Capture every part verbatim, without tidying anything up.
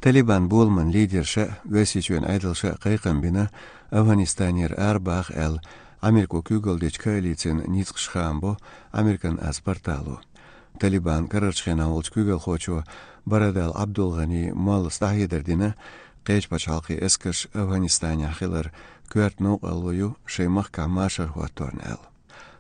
Талибан боламан лидерша а, Оьрсийчоьнан Ӏедалша а кхайкхам бина, Афганистанера арабаха аьлла, Америко куьйгалла дечу коалицин ницкъаш хаам бо «Американ аз» портало. Талибан карарчу хенахь волчу куьйгалхочо Барадал ӀабдулгӀани моллас дӀахьедар дина, кхечу пачхьалкхийн эскарш Афганистанехь хилар коьрта новкъарло ю шайн махкахь машар хӀотторна аьлла.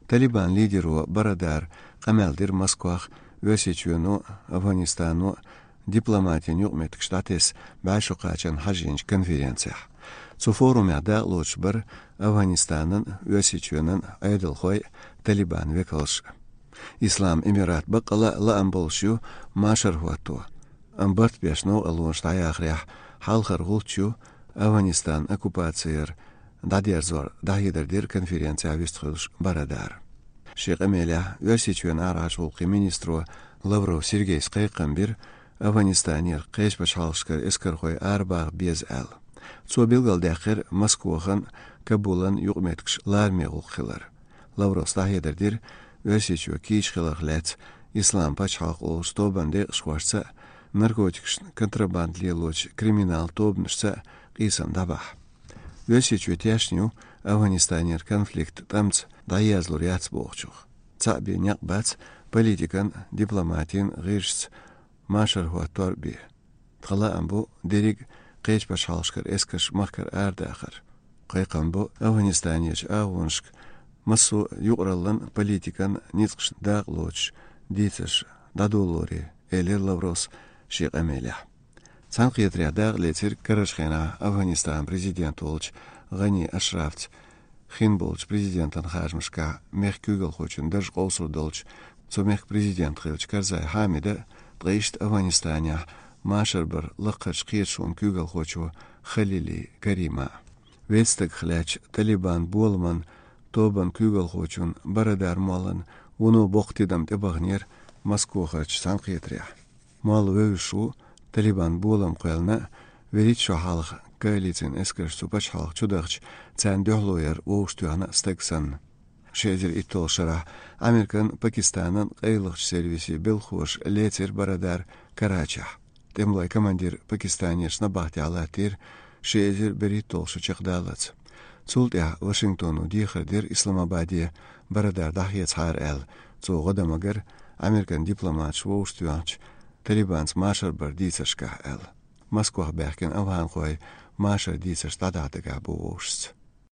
Талибан лидеро Барадара къамел дира Москвахь Оьрсийчоьно а, Афганистано а дипломатин юкъаметтигаш дӀатесна бӀе шо кхачарна хьажийначу конференцехь. Цу форумехь дакъалоцуш бара Афганистанан а, Оьрсийчоьнан а Ӏедалхой а, Талибан векалш а. Ислам Эмират баккъала а лаам болуш ю машар хӀотто, амма барт беш новкъарлонаш дӀаяхарехь, хьалхара гӀулч ю Афганистанан оккупаци яр дӀадерзор, дӀахьедар дира конференцехь вистхуьлуш Барадара. Шен къамелехь Оьрсийчоьнан арахьарчу гӀуллакхийн министро Лавров Сергейс кхайкхам бира, Афганистанера кхечу пачхьалкхашкара эскархой арабаха беза аьлла. Цо билгалдаьккхира Москвахан а, Кабулан а юкъаметтигаш лараме гӀуллакх хилар. Лавровс дӀахьедар дира, Оьрсийчоь кийча хиларх лаьцна Ислам пачхьалкх олучу тобанан декъашхошца а, наркотикашна контрабанда лелочу криминалан тобанашца а къийсам дӀабахьа. Оьрсийчоь тешна ю Афганистанера конфликт тӀамца дӀаерзалур яц бохучух. Цхьаъ бен некъ бац политикан а, дипломатин а гӀирсашца машар хӀоттор а бен. Тхан лаам бу дерриг а кхечу пачхьалкхашкара эскарш махкара арадахар. Кхайкхам бо Афганистанерчу агӀонашка массо а юкъараллан а, политикан а ницкъашна дакъалоцуш дийцарш дӀадолоре, элира Лавровс шен къамелехь. Цхьаьнакхетарехь дакъалецира карарчу хенахь Афганистанан президент волчу ГӀани Ашрафца хин болчу президентан харжамашкахь мехкан куьйгалхочун дарж къовсур долчу цу мехкан президент хиллачу Карзай Хьамида а, ткъа иштта Афганистанехь машар бар лакхарчу кхеташонан куьйгалхочо Халили Карима а. Вест стагах лаьттачу Талибан боламан тобанан куьйгалхочун Барадар моллан вуно боккха тидам тӀебахнера Москвахарчу цхьаьнакхетарехь. Молла вевзаш ву Талибан болам кхоьллина а, вуьрхӀитта шо хьалха коалицин эскарш цу пачхьалкхе чудахча, царна дуьхьало яр вовшахтоьхна а стаг санна. Ши эзар итталгӀачу шарахь Американ а, Пакистанан а къайлахчу сервисийн белхахоша лецира Барадар Карачехь. ТӀемалойн командир Пакистанерчу набахтехь латтийра ши эзар берхӀитталгӀа шо чекхдаллалц. Цул тӀаьхьа Вашингтоно дехар дира Исламабаде Барадар дӀахецахьара аьлла, цо гӀо дан магар Американ дипломаташ вовшахтоьхначу Талибанца машар бар дийцаршкахь аьлла. Москвахь баьхкина афганхой машар дийцарш дӀадахьа дагахь бу вовшашца.